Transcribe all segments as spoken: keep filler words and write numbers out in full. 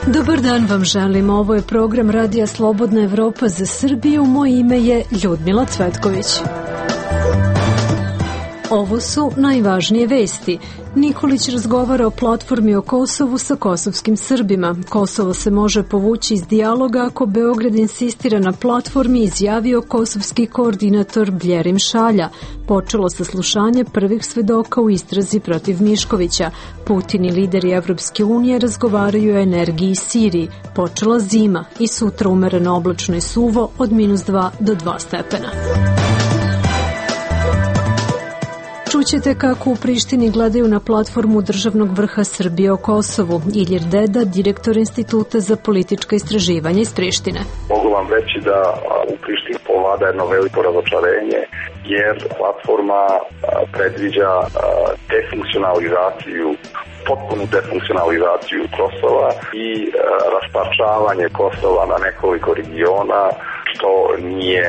Dobar dan vam želim, ovo je program Radija Slobodna Evropa za Srbiju, moje ime je Ljudmila Cvetković. Ovo su najvažnije vesti. Nikolić razgovara o platformi o Kosovu sa kosovskim Srbima. Kosovo se može povući iz dijaloga ako Beograd insistira na platformi, izjavio kosovski koordinator Bljerim Šalja. Počelo saslušanje prvih svedoka u istrazi protiv Miškovića. Putin i lideri Evropske unije razgovaraju o energiji i Siriji. Počela zima i sutra umereno oblačno i suvo od minus dva do dva stepena. Čućete kako u Prištini gledaju na platformu državnog vrha Srbije o Kosovu. Ilir Deda, direktor Instituta za politička istraživanja iz Prištine. Mogu vam reći da u Prištini povlada jedno veliko razočarenje, jer platforma predviđa defunkcionalizaciju, potpunu defunkcionalizaciju Kosova i rasparčavanje Kosova na nekoliko regiona, što nije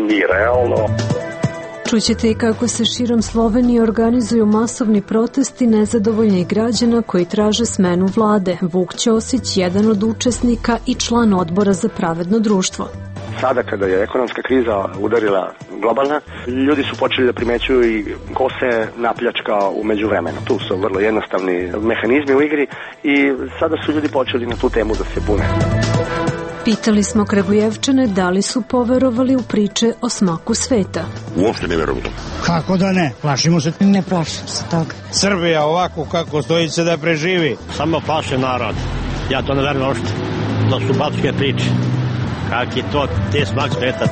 ni realno. Čućete i kako se širom Slovenije organizuju masovni protesti nezadovoljnih građana koji traže smenu vlade. Vuk Ćosić, jedan od učesnika i član odbora za pravedno društvo. Sada kada je ekonomska kriza udarila globalna, ljudi su počeli da primećuju i ko se napljačka u međuvremenu. Tu su vrlo jednostavni mehanizmi u igri i sada su ljudi počeli na tu temu da se bune. Pitali smo Kragujevčane da li su poverovali u priče o smaku sveta. Uopšte ne verujem. Kako da ne? Plašimo se? Ne plašim se toga. Srbija ovako kako stoji se da preživi. Samo plaše narod. Ja to ne verujem uopšte. To su backe priče. Kak je to, te smak sveta.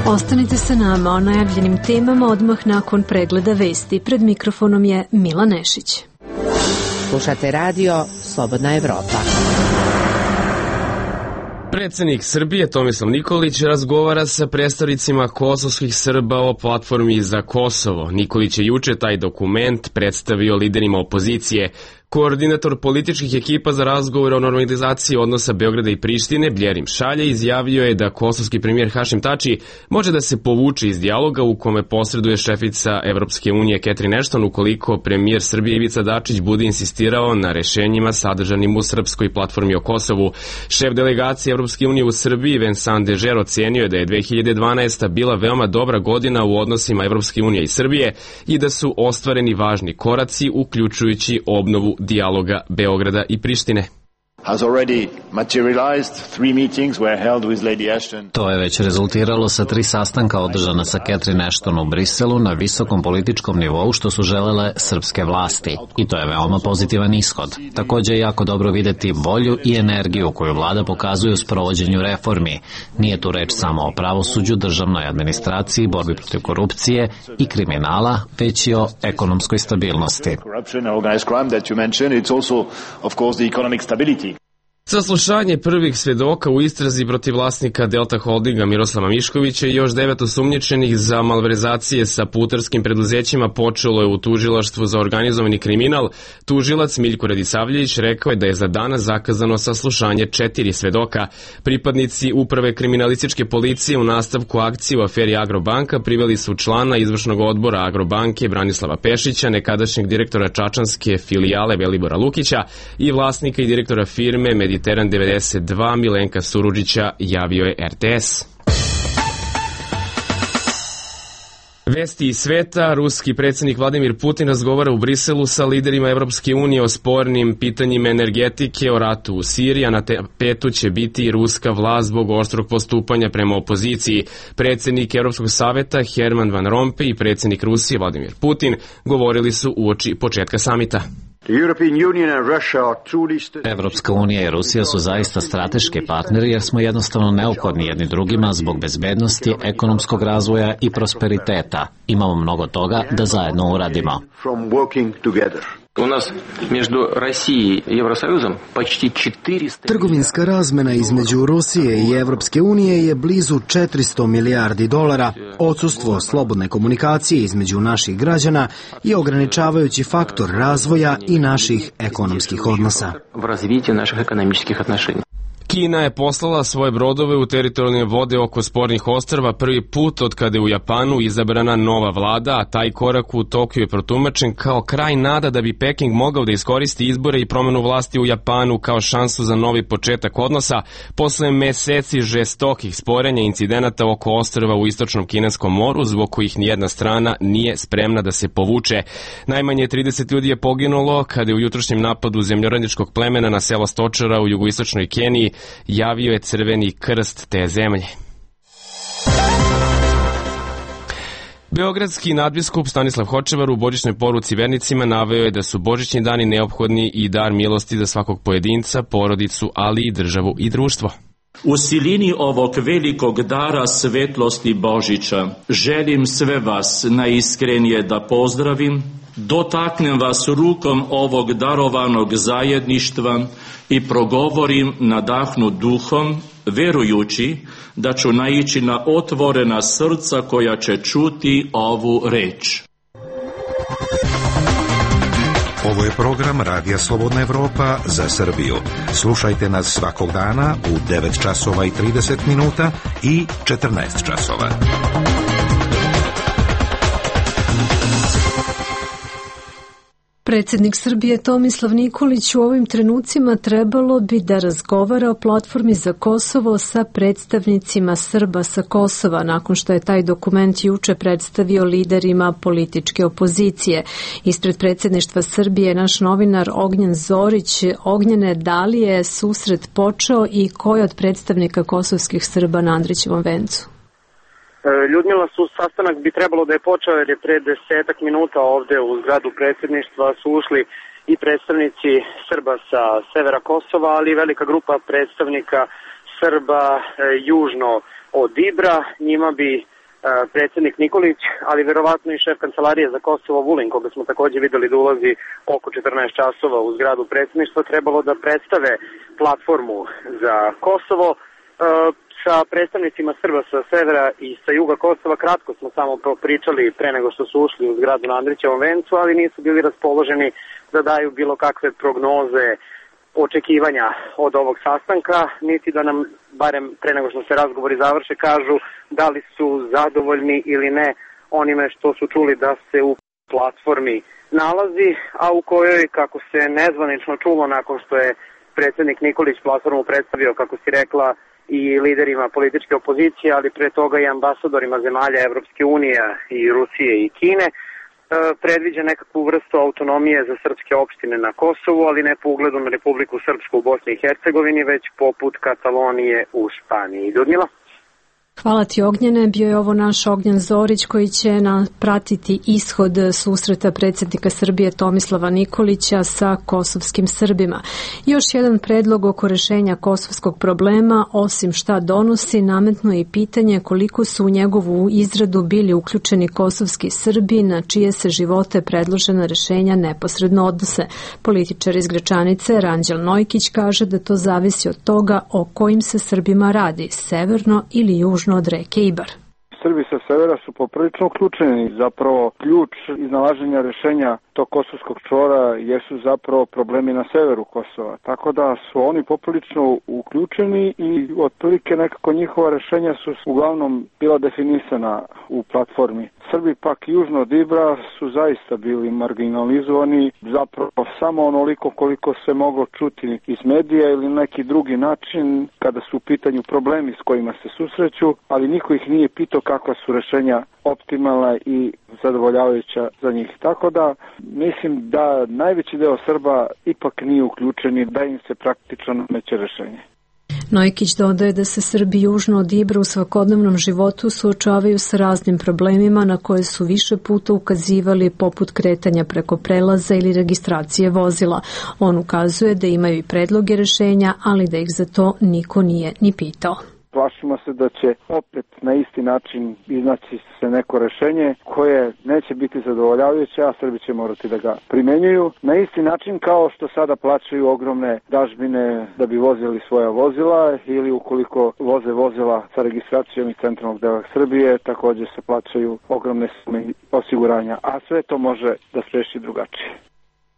Ostanite sa nama o najavljenim temama odmah nakon pregleda vesti. Pred mikrofonom je Mila Nešić. Slušate radio Slobodna Evropa. Predsednik Srbije Tomislav Nikolić razgovara sa predstavnicima kosovskih Srba o platformi za Kosovo. Nikolić je juče taj dokument predstavio liderima opozicije. Koordinator političkih ekipa za razgovor o normalizaciji odnosa Beograda i Prištine, Bljerim Šalja, izjavio je da kosovski premijer Hašim Tači može da se povuče iz dijaloga u kome posreduje šefica Evropske unije Catherine Ashton ukoliko premijer Srbije Ivica Dačić bude insistirao na rešenjima sadržanim u srpskoj platformi o Kosovu. Šef delegacije Evropske unije u Srbiji, Vincent Dežer, ocenio je da je dve hiljade dvanaesta. bila veoma dobra godina u odnosima Evropske unije i Srbije i da su ostvareni važni koraci, uključujući obnovu dijaloga Beograda i Prištine. To je već rezultiralo sa tri sastanka održana sa Catherine Ashton u Briselu na visokom političkom nivou što su želele srpske vlasti. I to je veoma pozitivan ishod. Također je jako dobro videti volju i energiju koju vlada pokazuje u sprovođenju reformi. Nije tu reč samo o pravosuđu, državnoj administraciji, borbi protiv korupcije i kriminala, već i o ekonomskoj stabilnosti. Saslušanje prvih svedoka u istrazi protiv vlasnika Delta Holdinga Miroslava Miškovića i još devet osumnjičenih za malverzacije sa putarskim preduzećima počelo je u tužilaštvu za organizovani kriminal. Tužilac Miljko Radisavljević rekao je da je za danas zakazano saslušanje četiri svedoka. Pripadnici uprave kriminalističke policije u nastavku akcije u aferi Agrobanka priveli su člana izvršnog odbora Agrobanke Branislava Pešića, nekadašnjeg direktora čačanske filijale Velibora Lukića i vlasnika i direktora firme Mediteran devedeset dva Milenka Surudžića, javio je er te es. Vesti iz sveta. Ruski predsjednik Vladimir Putin razgovara u Briselu sa liderima Evropske unije o spornim pitanjima energetike, o ratu u Siriji, a na tapetu će biti i ruska vlast zbog oštrog postupanja prema opoziciji. Predsjednik Evropskog saveta Herman Van Rompuy i predsjednik Rusije Vladimir Putin govorili su uoči početka samita. Evropska unija i Rusija su zaista strateški partneri jer smo jednostavno neophodni jedni drugima zbog bezbednosti, ekonomskog razvoja i prosperiteta. Imamo mnogo toga da zajedno uradimo. Trgovinska razmena između Rusije i Evropske unije je blizu četiristo milijardi dolara. Odsustvo slobodne komunikacije između naših građana je ograničavajući faktor razvoja i naših ekonomskih odnosa. Kina je poslala svoje brodove u teritorijalne vode oko spornih ostrva prvi put od kada je u Japanu izabrana nova vlada, a taj korak u Tokiju je protumačen kao kraj nada da bi Peking mogao da iskoristi izbore i promenu vlasti u Japanu kao šansu za novi početak odnosa posle meseci žestokih sporenja i incidenata oko ostrva u istočnom Kineskom moru, zbog kojih nijedna strana nije spremna da se povuče. Najmanje trideset ljudi je poginulo kada je u jutrošnjem napadu zemljoradničkog plemena na selo Stočara u jugoistočnoj Keniji javio je Crveni krst te zemlje. Beogradski nadbiskup Stanislav Hočevar u božićnoj poruci vernicima naveo je da su božićni dani neophodni i dar milosti za svakog pojedinca, porodicu, ali i državu i društvo. U silini ovog velikog dara svetlosti Božića želim sve vas najiskrenije da pozdravim, dotaknem vas rukom ovog darovanog zajedništva i progovorim nadahnut duhom, verujući da ću naići na otvorena srca koja će čuti ovu reč. Ovo je program Radija Slobodna Evropa za Srbiju. Slušajte nas svakog dana u devet časova i trideset minuta i četrnaest časova. Predsjednik Srbije Tomislav Nikolić u ovim trenucima trebalo bi da razgovara o platformi za Kosovo sa predstavnicima Srba sa Kosova, nakon što je taj dokument juče predstavio liderima političke opozicije. Ispred predsjedništva Srbije naš novinar Ognjen Zorić. Ognjene, da li je susret počeo i ko je od predstavnika kosovskih Srba na Andrićevom vencu? Ljudmila, su sastanak bi trebalo da je počeo jer je pre desetak minuta ovde u zgradu predsjedništva su ušli i predstavnici Srba sa severa Kosova, ali i velika grupa predstavnika Srba e, južno od Ibra. Njima bi e, predsjednik Nikolić, ali verovatno i šef kancelarije za Kosovo Vulin, koga smo takođe videli da ulazi oko četrnaest časova u zgradu predsjedništva, trebalo da predstave platformu za Kosovo. E, Sa predstavnicima Srba sa severa i sa juga Kosova kratko smo samo pričali pre nego što su ušli u zgradu na Andrićevom vencu, ali nisu bili raspoloženi da daju bilo kakve prognoze, očekivanja od ovog sastanka, niti da nam, barem pre nego što se razgovori završe, kažu da li su zadovoljni ili ne onime što su čuli da se u platformi nalazi, a u kojoj, kako se nezvanično čulo nakon što je predsjednik Nikolić platformu predstavio, kako si rekla, i liderima političke opozicije, ali pre toga i ambasadorima zemalja Evropske unije i Rusije i Kine, predviđa nekakvu vrstu autonomije za srpske opštine na Kosovu, ali ne po ugledu na Republiku Srpsku u Bosni i Hercegovini, već poput Katalonije u Španiji. Ljudmila? Hvala ti, Ognjene. Bio je ovo naš Ognjen Zorić koji će pratiti ishod susreta predsjednika Srbije Tomislava Nikolića sa kosovskim Srbima. Još jedan predlog oko rešenja kosovskog problema, osim šta donosi, nametno i pitanje koliko su u njegovu izradu bili uključeni kosovski Srbi, na čije se živote predložena rešenja neposredno odnose. Političar iz Gračanice Ranđel Nojkić kaže da to zavisi od toga o kojim se Srbima radi, severno ili južno od reke Ibar. Srbi sa severa su poprilično uključeni. Zapravo ključ iznalaženja rešenja tog kosovskog čvora jesu zapravo problemi na severu Kosova. Tako da su oni poprilično uključeni i otprilike nekako njihova rešenja su uglavnom bila definisana u platformi. Srbi pak južno od Ibra su zaista bili marginalizovani, zapravo samo onoliko koliko se moglo čuti iz medija ili neki drugi način kada su u pitanju problemi s kojima se susreću, ali niko ih nije pitao kakva su rešenja optimalna i zadovoljavajuća za njih. Tako da mislim da najveći deo Srba ipak nije uključeni, da im se praktično nameće rešenje. Nojkić dodaje da se Srbi južno od Ibra u svakodnevnom životu suočavaju sa raznim problemima na koje su više puta ukazivali, poput kretanja preko prelaza ili registracije vozila. On ukazuje da imaju i predloge rešenja, ali da ih za to niko nije ni pitao. Plašimo se da će opet na isti način iznaći se neko rešenje koje neće biti zadovoljavajuće, a Srbi će morati da ga primenjuju. Na isti način kao što sada plaćaju ogromne dažbine da bi vozili svoja vozila ili ukoliko voze vozila sa registracijom iz centralnog dela Srbije, također se plaćaju ogromne sume osiguranja, a sve to može da spreči drugačije.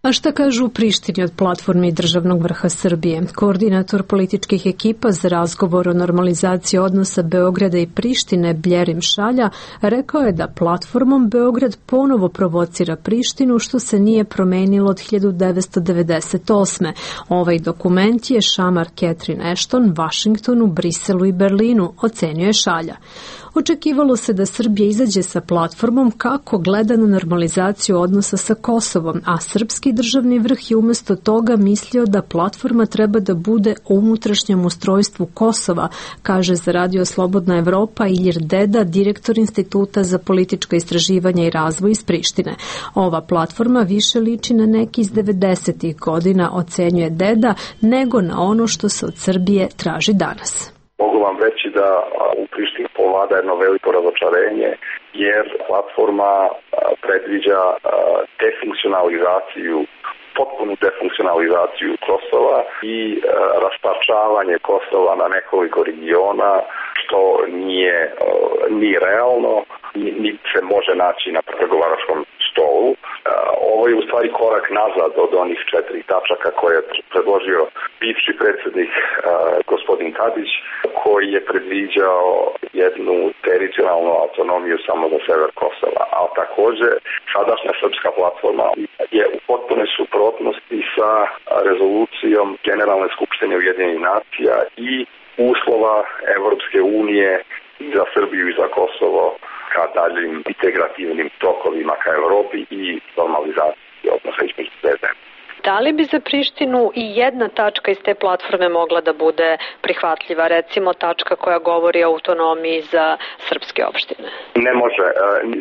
A šta kažu u Prištini od platformi državnog vrha Srbije? Koordinator političkih ekipa za razgovor o normalizaciji odnosa Beograda i Prištine, Bljerim Šalja, rekao je da platformom Beograd ponovo provocira Prištinu, što se nije promenilo od hiljadu devetsto devedeset osme. Ovaj dokument je šamar Catherine Ashton, Vašingtonu, Briselu i Berlinu, ocenio je Šalja. Očekivalo se da Srbija izađe sa platformom kako gleda na normalizaciju odnosa sa Kosovom, a srpski državni vrh je umjesto toga mislio da platforma treba da bude o unutrašnjem ustrojstvu Kosova, kaže za Radio Slobodna Evropa Ilir Deda, direktor Instituta za politička istraživanja i razvoj iz Prištine. Ova platforma više liči na neki iz devedesetih godina, ocenjuje Deda, nego na ono što se od Srbije traži danas. Mogu vam reći da u Prištini povlada jedno veliko razočarenje, jer platforma predviđa defunkcionalizaciju, potpunu defunkcionalizaciju Kosova i rasparčavanje Kosova na nekoliko regiona, što nije ni realno, ni se može naći na pregovaračkom stolu. Ovo je u stvari korak nazad od onih četiri tačaka koje je predložio bivši predsjednik gospodin Tadić, koji je predviđao jednu teritorijalnu autonomiju samo za sever Kosova. A također sadašnja srpska platforma je u potpunoj suprotnosti sa rezolucijom Generalne skupštine Ujedinjenih nacija i uslova Evropske unije za Srbiju i za Kosovo ka daljim integrativnim tokovima ka Europi i normalizaciji odnosa između dve zemlje. Da li bi za Prištinu i jedna tačka iz te platforme mogla da bude prihvatljiva, recimo tačka koja govori o autonomiji za srpske opštine? Ne može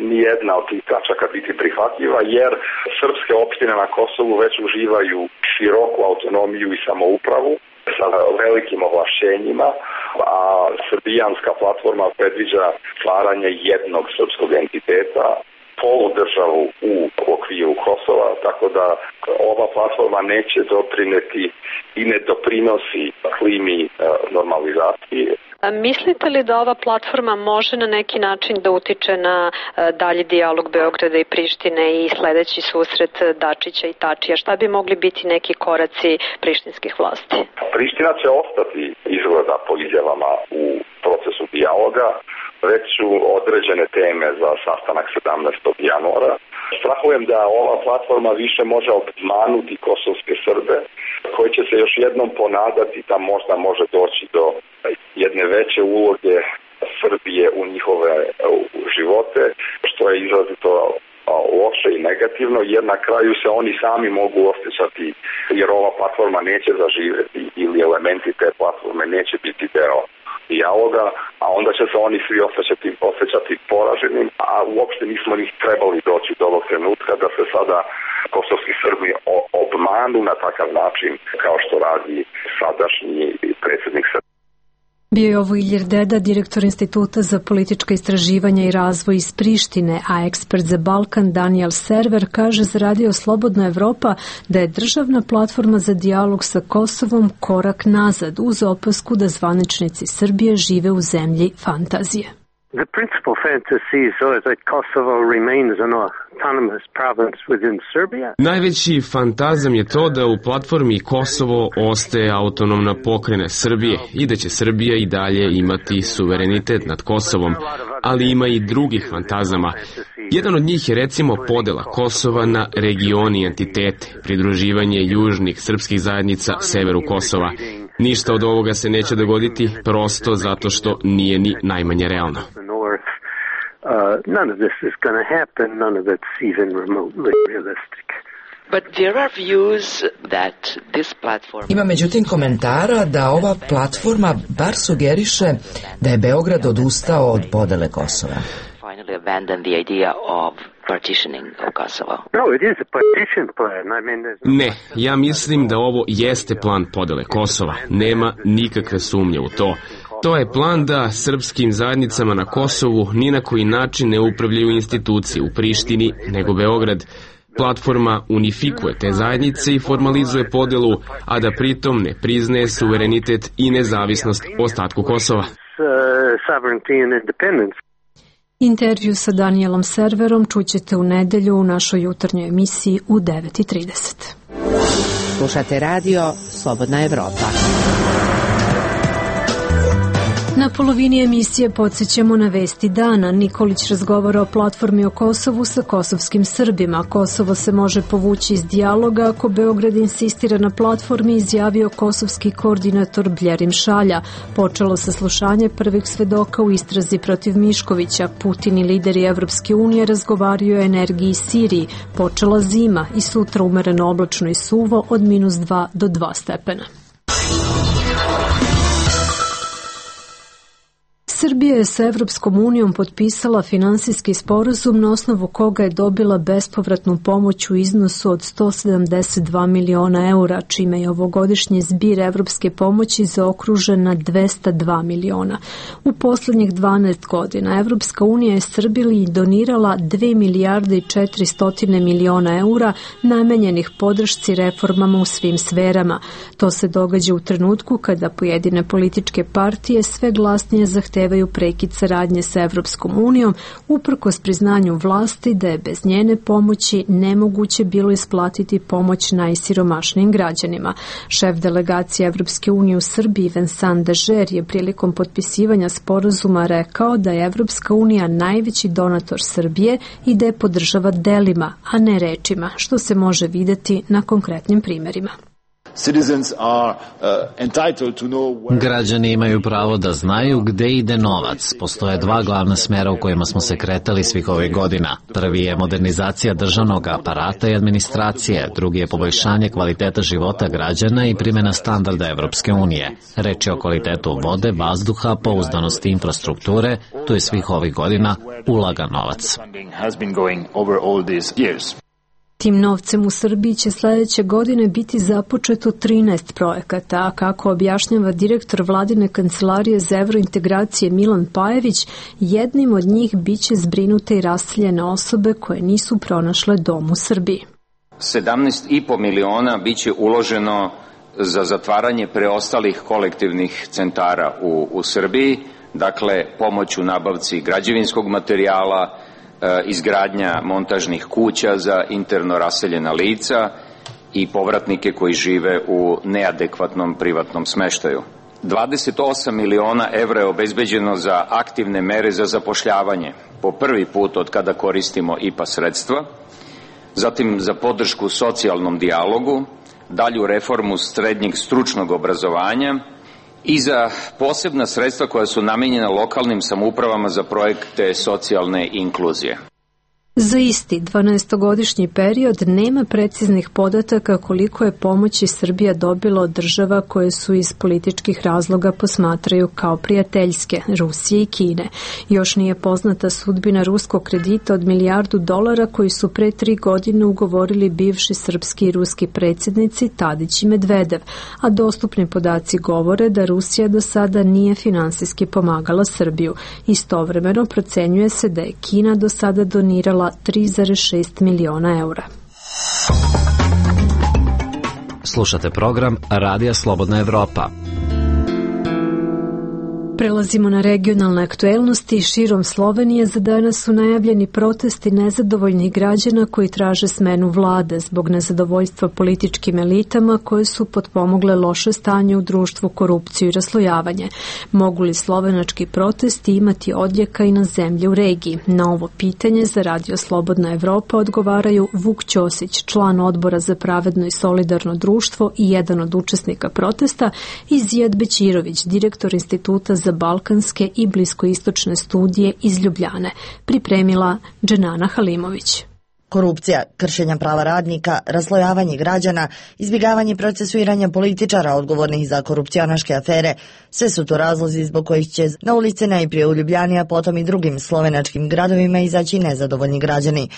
ni jedna od tih tačaka biti prihvatljiva, jer srpske opštine na Kosovu već uživaju široku autonomiju i samoupravu sa velikim ovlašćenjima, a srbijanska platforma predviđa stvaranje jednog srpskog entiteta, poludržavu u okviru Kosova, tako da ova platforma neće doprineti i ne doprinosi klimi normalizacije. A mislite li da ova platforma može na neki način da utiče na dalji dijalog Beograda i Prištine i sledeći susret Dačića i Tačija? Šta bi mogli biti neki koraci prištinskih vlasti? Priština će ostati izgleda po izjavama u procesu dijaloga. Već su određene teme za sastanak sedamnaestog januara. Strahujem da ova platforma više može obmanuti kosovske Srbe, koji će se još jednom ponadati da možda može doći do jedne veće uloge Srbije u njihove živote, što je izrazito loše i negativno, jer na kraju se oni sami mogu osjećati, jer ova platforma neće zaživjeti ili elementi te platforme neće biti deo dijaloga, a onda će se oni svi osjećati, osjećati poraženim, a uopšte nismo ni trebali doći do ovog trenutka da se sada kosovski Srbi obmanu na takav način kao što radi sadašnji predsjednik Srbije. Bio je ovo Ilir Deda, direktor Instituta za politička istraživanja i razvoj iz Prištine, a ekspert za Balkan Daniel Server kaže za Radio Slobodna Evropa da je državna platforma za dijalog sa Kosovom korak nazad, uz opasku da zvaničnici Srbije žive u zemlji fantazije. The principal fantasy is that Kosovo remains an autonomous province within Serbia. Najveći fantazam je to da u platformi Kosovo ostaje autonomna pokrajina Srbije i da će Srbija i dalje imati suverenitet nad Kosovom, ali ima i drugih fantazama. Jedan od njih je recimo podela Kosova na regioni i entitete, pridruživanje južnih srpskih zajednica severu Kosova. Ništa od ovoga se neće dogoditi prosto zato što nije ni najmanje realno. Ima međutim komentara da ova platforma bar sugeriše da je Beograd odustao od podele Kosova. Ne, ja mislim da ovo jeste plan podele Kosova. Nema nikakve sumnje u to. To je plan da srpskim zajednicama na Kosovu ni na koji način ne upravljaju institucije u Prištini, nego Beograd. Platforma unifikuje te zajednice i formalizuje podelu, a da pritom ne priznaje suverenitet i nezavisnost ostatku Kosova. Intervju sa Danielom Serverom čućete u nedelju u našoj jutarnjoj emisiji u devet i trideset. Slušate radio Slobodna Evropa. Na polovini emisije podsjećamo na vesti dana. Nikolić razgovara o platformi o Kosovu sa kosovskim Srbima. Kosovo se može povući iz dijaloga ako Beograd insistira na platformi, izjavio kosovski koordinator Bljerim Šalja. Počelo saslušanje prvih svedoka u istrazi protiv Miškovića. Putin i lideri Evropske unije razgovaraju o energiji Siriji. Počela zima i sutra umereno oblačno i suvo od minus dva do dva stepena. Srbija je sa Evropskom unijom potpisala finansijski sporazum na osnovu koga je dobila bespovratnu pomoć u iznosu od sto sedamdeset dva miliona eura, čime je ovogodišnji zbir evropske pomoći zaokružen na dvesta dva miliona. U poslednjih dvanaest godina Evropska unija je Srbiji donirala dve milijarde i četiristo miliona eura namenjenih podršci reformama u svim sferama. To se događa u trenutku kada pojedine političke partije sve glasnije zahtevaju prekid saradnje sa Evropskom unijom, uprkos priznanju vlasti da je bez njene pomoći nemoguće bilo isplatiti pomoć najsiromašnijim građanima. Šef delegacije Evropske unije u Srbiji Vincent Dežer je prilikom potpisivanja sporazuma rekao da je Evropska unija najveći donator Srbije i da je podržava delima, a ne rečima, što se može videti na konkretnim primerima. Građani imaju pravo da znaju gde ide novac. Postoje dva glavna smera u kojima smo se kretali svih ovih godina. Prvi je modernizacija državnog aparata i administracije, drugi je poboljšanje kvaliteta života građana i primjena standarda Evropske unije. Reč je o kvalitetu vode, vazduha, pouzdanosti infrastrukture, tu je svih ovih godina ulagan novac. Tim novcem u Srbiji će sledeće godine biti započeto trinaest projekata, a kako objašnjava direktor vladine kancelarije za evrointegracije Milan Pajević, jednim od njih biće zbrinute i raseljene osobe koje nisu pronašle dom u Srbiji. sedamnaest i po miliona biće uloženo za zatvaranje preostalih kolektivnih centara u, u Srbiji, dakle pomoć u nabavci građevinskog materijala, izgradnja montažnih kuća za interno raseljena lica i povratnike koji žive u neadekvatnom privatnom smeštaju. dvadeset osam miliona evra je obezbeđeno za aktivne mere za zapošljavanje, po prvi put od kada koristimo I P A sredstva, zatim za podršku socijalnom dijalogu, dalju reformu srednjeg stručnog obrazovanja i za posebna sredstva koja su namenjena lokalnim samoupravama za projekte socijalne inkluzije. Za isti dvanaestogodišnji period nema preciznih podataka koliko je pomoći Srbija dobila od država koje su iz političkih razloga posmatraju kao prijateljske, Rusije i Kine. Još nije poznata sudbina ruskog kredita od milijardu dolara koji su pre tri godine ugovorili bivši srpski i ruski predsjednici Tadić i Medvedev, a dostupni podaci govore da Rusija do sada nije finansijski pomagala Srbiju. Istovremeno procenjuje se da je Kina do sada donirala tri zarez šest miliona eura. Slušate program Radija Slobodna Evropa. Prelazimo na regionalne aktuelnosti. Širom Slovenije za danas su najavljeni protesti nezadovoljnih građana koji traže smenu vlade zbog nezadovoljstva političkim elitama koje su potpomogle loše stanje u društvu, korupciju i raslojavanje. Mogu li slovenački protesti imati odjeka i na zemlje u regiji? Na ovo pitanje za Radio Slobodna Evropa odgovaraju Vuk Ćosić, član odbora za pravedno i solidarno društvo i jedan od učesnika protesta, i Zijad Bećirović, direktor Instituta za balkanske i bliskoistočne studije iz Ljubljane. Pripremila Dženana Halimović. Korupcija, kršenja prava radnika, raslojavanje građana, izbjegavanje procesuiranja političara odgovornih za korupcionaške afere, sve su to razlozi zbog kojih će na ulice najprije u Ljubljani, a potom i drugim slovenačkim gradovima izaći nezadovoljni građani.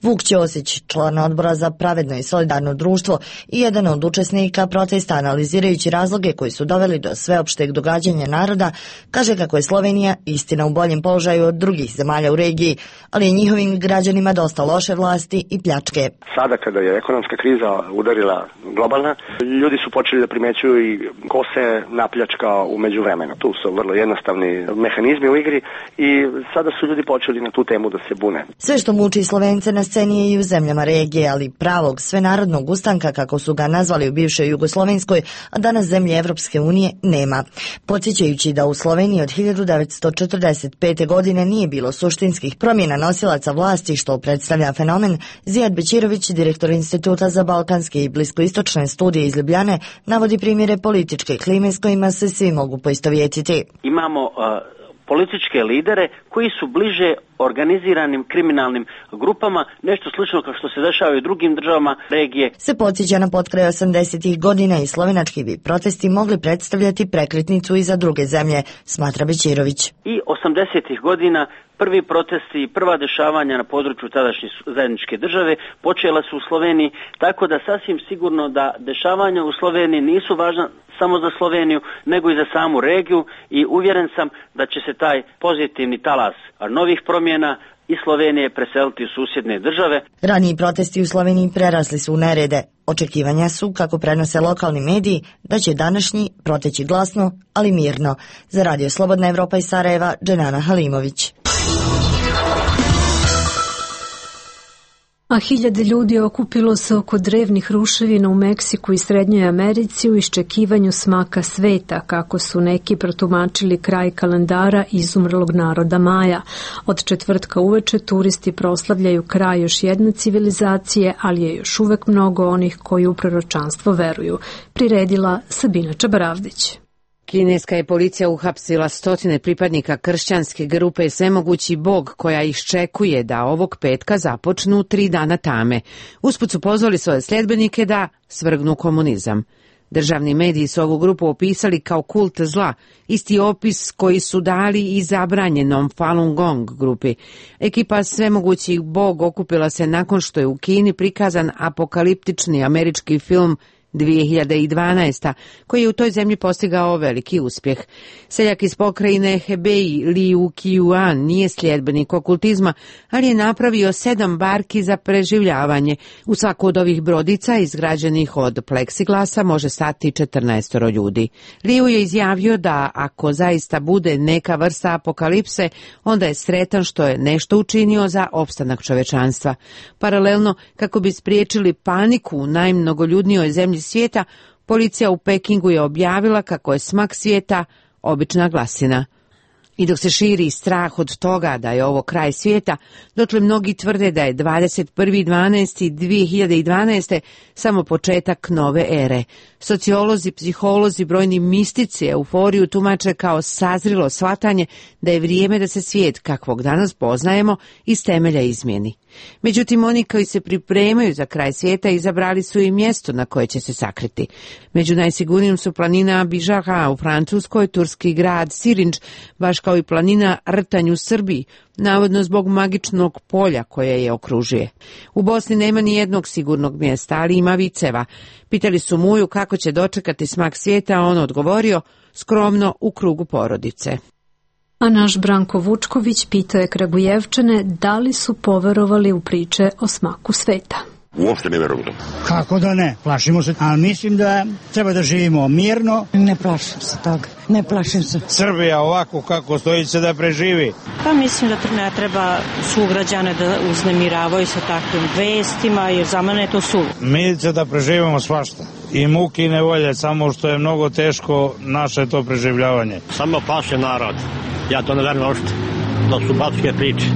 Vuk Ćosić, član odbora za pravedno i solidarno društvo i jedan od učesnika protesta, analizirajući razloge koji su doveli do sveopšteg događanja naroda, kaže kako je Slovenija istina u boljem položaju od drugih zemalja u regiji, ali je njihovim građanima dosta loše vlasti propasti i pljačke. Sada kada je ekonomska kriza udarila globalna, ljudi su počeli da primećuju i ko se napljačka u međuvremenu. Tu su vrlo jednostavni mehanizmi u igri i sada su ljudi počeli na tu temu da se bune. Sve što muči Slovence na sceni je i u zemljama regije, ali pravog svenarodnog ustanka, kako su ga nazvali u bivšoj Jugoslovenskoj, a danas zemlje Evropske unije, nema. Podsjećajući da u Sloveniji od hiljadu devetsto četrdeset pete. godine nije bilo suštinskih promjena nosilaca vlasti, što predstavlja fenomen, Zijad Bećirović, direktor Instituta za balkanske i bliskoistočne studije iz Ljubljane, navodi primjere političke klime s kojima se svi mogu poistovjetiti. Imamo uh, političke lidere koji su bliže organiziranim kriminalnim grupama, nešto slično kao što se dešava i u drugim državama regije. Se podsjeća na potkraj osamdesetih godina i slovenački bi protesti mogli predstavljati prekretnicu i za druge zemlje, smatra Bećirović. I osamdesetih godina prvi protesti i prva dešavanja na području tadašnje zajedničke države počela su u Sloveniji, tako da sasvim sigurno da dešavanja u Sloveniji nisu važna samo za Sloveniju, nego i za samu regiju i uvjeren sam da će se taj pozitivni talas novih promjena iz Slovenije preseliti u susjedne države. Raniji protesti u Sloveniji prerasli su u nerede. Očekivanja su, kako prenose lokalni mediji, da će današnji proteći glasno, ali mirno. Za Radio Slobodna Evropa iz Sarajeva, Dženana Halimović. A hiljade ljudi okupilo se oko drevnih ruševina u Meksiku i Srednjoj Americi u iščekivanju smaka sveta, kako su neki protumačili kraj kalendara izumrlog naroda Maja. Od četvrtka uveče turisti proslavljaju kraj još jedne civilizacije, ali je još uvek mnogo onih koji u proročanstvo veruju. Priredila Sabina Čabaravdić. Kineska je policija uhapsila stotine pripadnika kršćanske grupe Svemogući Bog, koja iščekuje da ovog petka započnu tri dana tame. Usput su pozvali svoje sljedbenike da svrgnu komunizam. Državni mediji su ovu grupu opisali kao kult zla, isti opis koji su dali i zabranjenom Falun Gong grupi. Ekipa Svemogući Bog okupila se nakon što je u Kini prikazan apokaliptični američki film dvije hiljade dvanaeste. koji je u toj zemlji postigao veliki uspjeh. Seljak iz pokrajine Hebei Liu Qiuan nije sljedbenik okultizma, ali je napravio sedam barki za preživljavanje. U svaku od ovih brodica, izgrađenih od pleksiglasa, može stati četrnaestoro ljudi. Liu je izjavio da ako zaista bude neka vrsta apokalipse, onda je sretan što je nešto učinio za opstanak čovečanstva. Paralelno, kako bi spriječili paniku u najmnogoljudnijoj zemlji svijeta, policija u Pekingu je objavila kako je smak svijeta obična glasina. I dok se širi strah od toga da je ovo kraj svijeta, dotle mnogi tvrde da je dvadeset prvi dvanaesti dvije hiljade dvanaeste. samo početak nove ere. Sociolozi, psiholozi, brojni mistici euforiju tumače kao sazrilo shvatanje da je vrijeme da se svijet kakvog danas poznajemo iz temelja izmijeni. Međutim, oni koji se pripremaju za kraj svijeta izabrali su i mjesto na koje će se sakriti. Među najsigurnijim su planina Bižara u Francuskoj, turski grad Sirinč, baš kao i planina Rtanj u Srbiji, navodno zbog magičnog polja koje je okružuje. U Bosni nema ni jednog sigurnog mjesta, ali ima viceva. Pitali su Muju kako će dočekati smak svijeta, a on odgovorio skromno u krugu porodice. A naš Branko Vučković pitao je Kragujevčane da li su poverovali u priče o smaku sveta. Uopšte ne verujem. Kako da ne? Plašimo se, ali mislim da treba da živimo mirno. Ne plašim se toga, ne plašim se. Srbija ovako kako stoji se da preživi. Pa mislim da ne treba sugrađane da uznemiravaju sa takvim vestima, jer za mene je to su. Mi će da preživimo svašta. I muki i nevolje, samo što je mnogo teško naše to preživljavanje. Samo paše narod. Ja to ne verujem uopšte. To su bapske priče.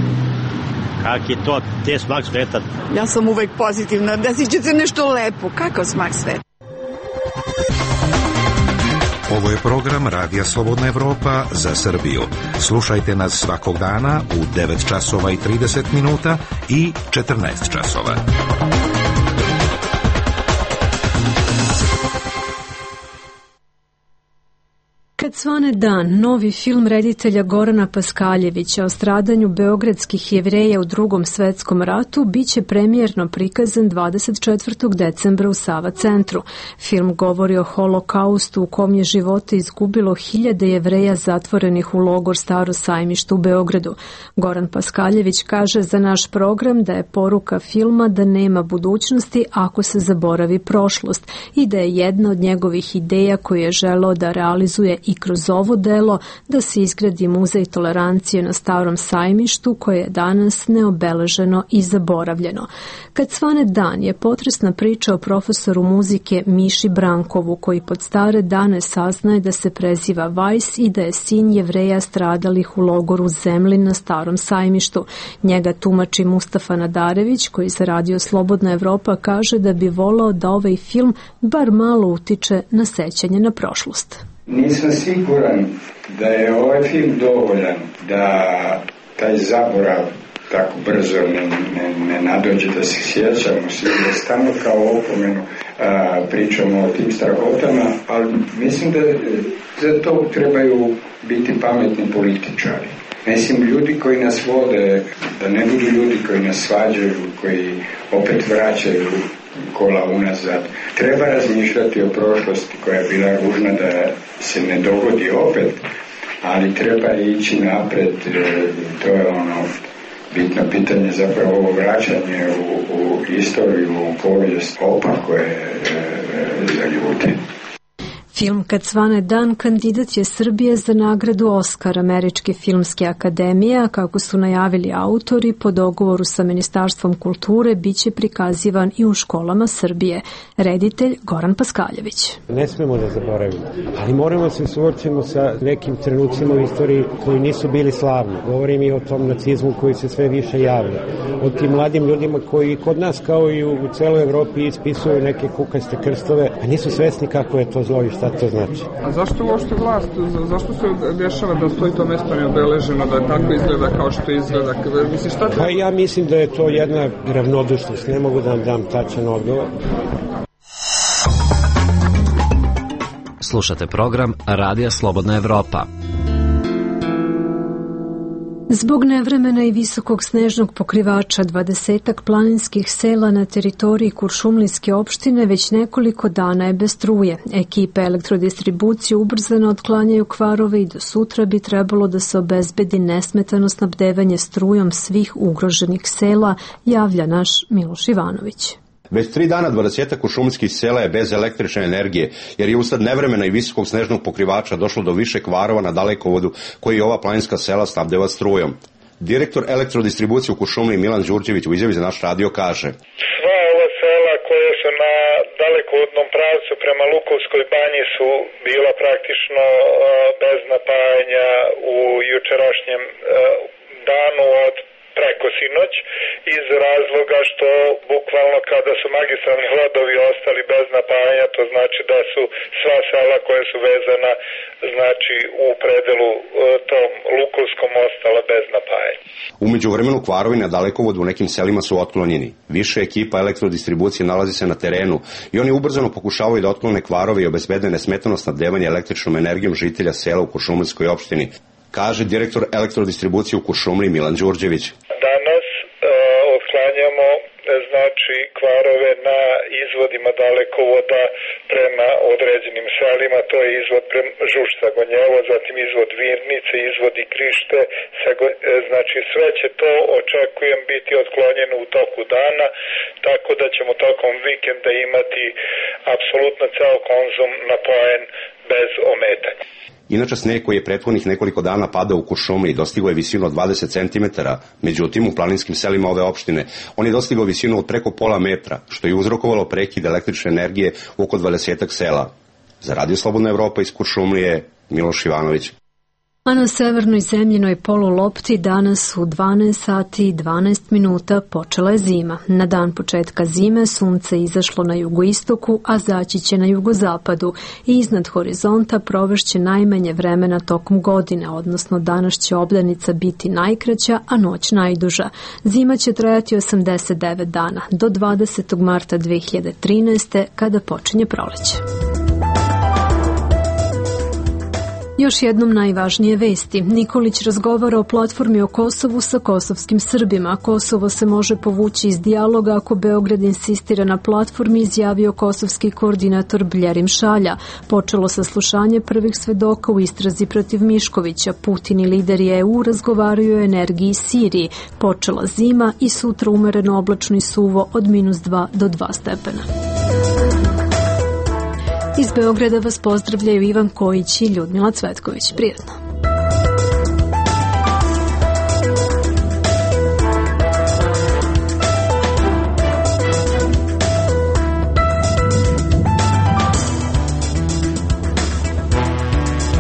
Kak je to, te smak sveta? Ja sam uvek pozitivna, desit će se nešto lepo. Kako smak sveta? Ovo je program Radija Slobodna Evropa za Srbiju. Slušajte nas svakog dana u devet časova i trideset minuta i četrnaest časova. Kad svane dan, novi film reditelja Gorana Paskaljevića o stradanju beogradskih Jevreja u Drugom svetskom ratu biće premijerno prikazan dvadeset četvrtog decembra u Sava centru. Film govori o holokaustu u kom je živote izgubilo hiljade Jevreja zatvorenih u logor Staro sajmište u Beogradu. Goran Paskaljević kaže za naš program da je poruka filma da nema budućnosti ako se zaboravi prošlost i da je jedna od njegovih ideja koju je želeo da realizuje i kroz ovo delo da se izgradi muzej tolerancije na Starom sajmištu koje je danas neobeleženo i zaboravljeno. Kad svane dan je potresna priča o profesoru muzike Miši Brankovu koji pod stare dane saznaje da se preziva Vajs i da je sin Jevreja stradalih u logoru Zemlin na Starom sajmištu. Njega tumači Mustafa Nadarević koji za radio Slobodna Evropa kaže da bi volao da ovaj film bar malo utiče na sećanje na prošlost. Nisam siguran da je ovaj film dovoljan da taj zaborav tako brzo ne, ne, ne nadođe da se sjećamo svi, da stano kao opomenu a, pričamo o tim strahotama, ali mislim da za to trebaju biti pametni političari. Mislim, ljudi koji nas vode, da ne budu ljudi koji nas svađaju, koji opet vraćaju kola unazad. Treba razmišljati o prošlosti koja je bila ružna da se ne dogodi opet, ali treba ići napred, to je ono bitno pitanje, zapravo ovo vraćanje u, u istoriju, u povijest, opako je za ljude. Film Kad svane dan kandidat je Srbije za nagradu Oskar Američke filmske akademije, a kako su najavili autori, po dogovoru sa Ministarstvom kulture biće prikazivan i u školama Srbije. Reditelj Goran Paskaljević. Ne smemo da zaboravimo, ali moramo se suočiti sa nekim trenucima u istoriji koji nisu bili slavni. Govorim i o tom nacizmu koji se sve više javlja. O tim mladim ljudima koji kod nas kao i u celoj Evropi ispisuju neke kukaste krstove, a nisu svesni kako je to zlo i šta to znači. A zašto uopšte vlast, zašto se dešava da stoji to mesto neobeleženo, da tako izgleda kao što izgleda? Misliš, šta pa ja mislim da je to jedna ravnodušnost, ne mogu da vam dam tačan odgovor. Slušate program Radija Slobodna Evropa. Zbog nevremena i visokog snežnog pokrivača dvadesetak planinskih sela na teritoriji Kuršumlijske opštine već nekoliko dana je bez struje. Ekipe elektrodistribucije ubrzano otklanjaju kvarove i do sutra bi trebalo da se obezbedi nesmetano snabdevanje strujom svih ugroženih sela, javlja naš Miloš Ivanović. Već tri dana dvadesetak kuršumlijskih sela je bez električne energije, jer je usled nevremena i visokog snežnog pokrivača došlo do više kvarova na dalekovodu koji ova planinska sela snabdeva strujom. Direktor elektrodistribucije u Kuršumliji Milan Đurđević u izjavi za naš radio kaže: Sva ova sela koje su na dalekovodnom pravcu prema Lukovskoj banji su bila praktično bez napajanja u jučerašnjem danu od preko sinoć, iz razloga što bukvalno kada su magistralni vodovi ostali bez napajanja, to znači da su sva sela koje su vezana znači u predelu tom Lukovskom ostala bez napajanja. Umeđu vremenu kvarovi na dalekovodu u nekim selima su otklonjeni. Više ekipa elektrodistribucije nalazi se na terenu i oni ubrzano pokušavaju da otklone kvarove i obezbede nesmetano snabdevanje električnom energijom žitelja sela u Kuršumlijskoj opštini, kaže direktor elektrodistribucije u Kuršumliji Milan Đurđević. Danas e, otklanjamo znači kvarove na izvodima dalekovoda prema određenim selima, to je izvod Žušca Gonjevo, zatim izvod Virnice, izvod i Krište, znači sve će to, očekujem, biti otklonjeno u toku dana, tako da ćemo tokom vikenda imati apsolutno ceo konzum napojen bez ometanja. Inače, sneg koji je prethodnih nekoliko dana padao u Kuršumliji dostigao je visinu od dvadeset centimetara, međutim u planinskim selima ove opštine on je dostigao visinu od preko pola metra, što je uzrokovalo prekid električne energije u oko dvadesetak sela. Za Radio Slobodna Evropa iz Kuršumlije, Miloš Ivanović. A na severnoj zemljinoj polulopti danas u dvanaest sati i dvanaest minuta počela je zima. Na dan početka zime sunce izašlo na jugoistoku, a zaći će na jugozapadu i iznad horizonta provešće najmanje vremena tokom godine, odnosno danas će obdanica biti najkraća, a noć najduža. Zima će trajati osamdeset devet dana, do dvadesetog marta dve hiljade trinaeste. kada počinje proleće. Još jednom najvažnije vesti. Nikolić razgovara o platformi o Kosovu sa kosovskim Srbima. Kosovo se može povući iz dijaloga ako Beograd insistira na platformi, izjavio kosovski koordinator Bljerim Šalja. Počelo saslušanje prvih svedoka u istrazi protiv Miškovića. Putin i lideri E U razgovaraju o energiji Siriji. Počela zima i sutra umereno oblačno i suvo od minus dva do dva stepena. Iz Beograda vas pozdravljaju Ivan Kojić i Ljudmila Cvetković. Prijetno.